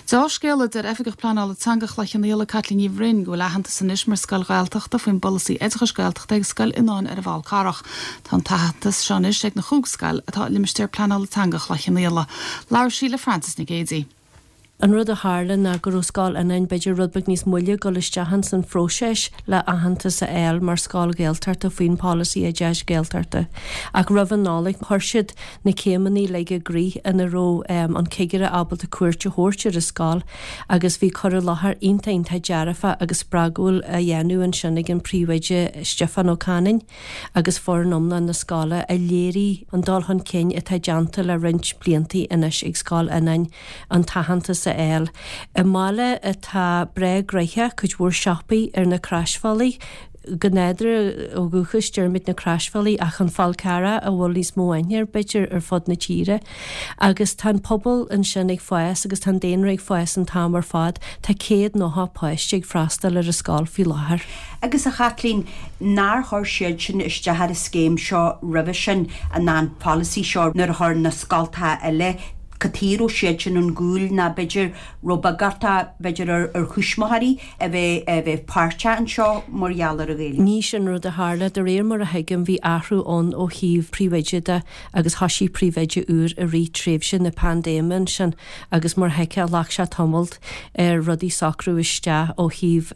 Deá-scéala, deir Oifigeach Pleanála Teanga Chloich Cheann Fhaola, Caitlín Ní Bhroin, go bhfuil aitheantas anois mar scoil Ghaeltachta faoin bpolasaí oideachais Gaeltachta ag Scoil Fhionnáin ar an bhFál Carrach. Tá an t-aitheantas seo anois ag na chúig scoil atá i limistéar pleanála teanga Chloich Cheann Fhaola. Labhair sí le Frances Nic Géadaigh. An rud a tharla ná go raibh Scoil Fhionnáin b'fhéidir rud beag níos moille ag dul isteach ins an phróiseas le aitheantas a fháil mar scoil Ghaeltachta faoin pholasaí oideachais Gaeltachta. Ach roimh an Nollaig chuir siad na céimeanna uilig i gcrích ina raibh an cigire ábalta cuairt a thabhairt ar an scoil agus bhí cur i láthair iontach iontach dearfach agus spreagúil á dhéanamh ansin ag an phríomhoide Stiofán Ó Canainn. agus foireann iomlán na scoile a léirigh an dul chun cinn atá déanta le roinnt blianta anois ag Scoil Fhionnáin an t-aitheantas a fháil. I mbaile atá breá gnoitheach, cuid mhór siopaí ar na croisbhealaí, go nádúrtha ó dhúchas deirimid na croisbhealaí ach an Fál Carrach a bhfuil níos mó aithne air b'fhéidir ar fud na tíre. Agus tá an pobal ansin ag fás agus tá an daonra ag fás an t-am ar fad. Tá 190 páiste ag freastal ar an scoil faoi láthair. Agus a Chaitlín, nár chuir siad sin isteach ar an scéim seo roimhe sin, an an polasaí seo nuair a chuir na scoltacha eile, cad chuige a raibh siad sin ón gcúl ná b'fhéidir raibh beag orthu b'fhéidir ar ar thuismitheoirí a bheith a bheith páirteach anseo mar gheall ar an Ghaeilge? Ní sin rud a tharla. De réir mar a thuigim bhí athrú ann ó thaobh príomhoide de agus thoisigh príomhoide úr i rith tréimhse na paindéime ansin agus mar thuigfeá ghlac sé tamalt ar rudaí socrú isteach ó thaobh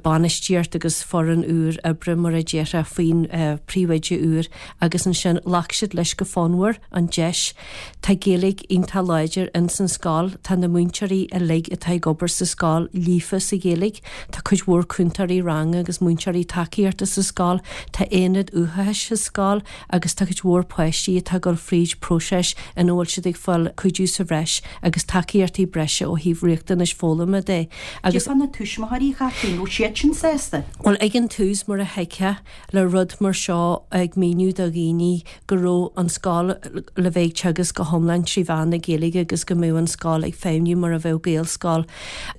bainistíocht agus foireann úr oibre mar a déarfá faoin príomhoide úr agus ansin ghlac siad leis go fonnmhar an deis. Tá Gaeilge iontach láidir ins an scoil, tá na múinteoirí uilig atá ag obair sa scoil líofa sa Ghaeilge, tá cuid mhór cúntóirí ranga agus múinteoirí tacaíochta sa scoil, tá aonad uathachais sa scoil agus tá cuid mhór páistí atá ag dul fríd próiseas ina bhfuil siad ag fáil cuidiú sa bhreis agus tacaíochtaí breise ó thaobh riachtanais foghlama de. Agus. Cad fá na tuismitheoirí, a Chaitlín, raibh siad sin sásta? Bhuel, ag an tús, mar a thuigfeá, le rud mar seo ag míniú do dhaoine go raibh an scoil le bheith ag teagasc go hiomlán trí mheán na Gaeilge agus go mbeadh an scoil ag feidhmiú mar a bheadh Gaelscoil,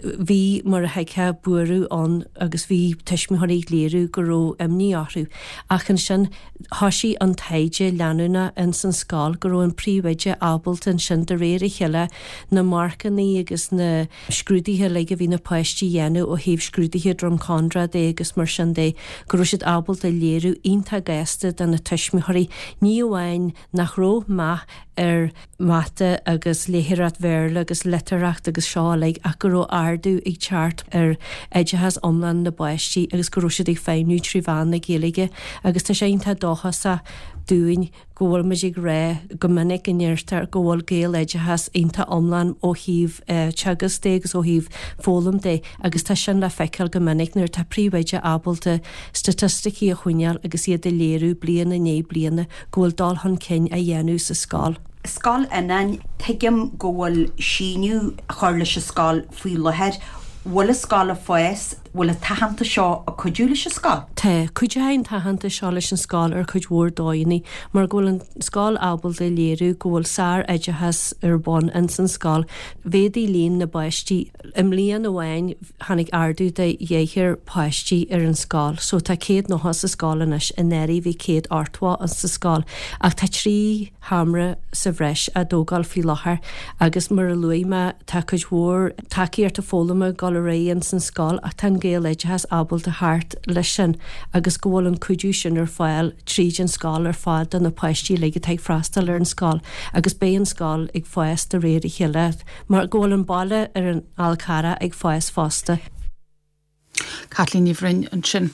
bhí, mar a thuigfeá, buaireamh ann agus bhí tuismitheoirí ag léiriú go raibh imní orthu. Ach ansin, thoisigh an taighde leanúnach ins an scoil go raibh an príomhoide ábalta ansin de réir a chéile na marcannaí agus na. scrúduithe uilig a bhí na páistí a dhéanamh ó thaobh scrúduithe Drumcondra de agus mar sin de, go raibh siad ábalta léiriú iontach gasta do na tuismitheoirí, ní amháin nach raibh meath ar mhata agus léitheoireacht Bhéarla agus litearthacht agus seo uilig ach go raibh ardú ag teacht ar oideachas iomlán na bpáistí agus go raibh siad ag feidhmiú trí mheán na Gaeilge agus tá sé iontach dóchasach dúinn go bhfuil muid ag rá go minic go ndeirtear go bhfuil Gaeloideachas iontach iomlán ó thaobh teagasc de agus ó thaobh foghlaim de agus tá sin le feiceáil go minic nuair atá príomhoide ábalta staitisticí a choinneáil agus iad a léiriú bliain i ndiaidh bliana go bhfuil dul chun cinn á dhéanamh sa scoil. Scoil Fhionnáin, tuigim go bhfuil síneadh á chur leis an scoil faoi láthair. Bhfuil an scoil ag fás? Bhfuil an t-aitheantas seo ag cuidiú leis an scoil? Tá. Cuideoidh an t-aitheantas seo leis an scoil ar chuid mhór dóigheanna mar go bhfuil an scoil ábalta a léiriú go bhfuil sár-oideachas ar bun ins an scoil. Mhéadaigh líon na bpáistí. I mbliain amháin tháinig ardú de dheichniúr páistí ar an scoil so tá 190 sa scoil anois, anuraidh bhí 180 sa scoil ach tá 3 sheomra sa bhreis á dtógáil faoi láthair agus mar a luaigh mé tá cuid mhór tacaíochta foghlama ag dul ar aghaidh ins an scoil ach tá an Gaeloideachas ábalta theacht leis sin agus go bhfuil an cuidiú sin ar fáil tríd an scoil ar fad do na páistí uilig atá ag freastal ar an scoil agus beidh an scoil ag fás de réir a chéile mar go bhfuil an baile ar an Fhál Carrach ag fás fosta. Caitlín Ní Bhroin ansin.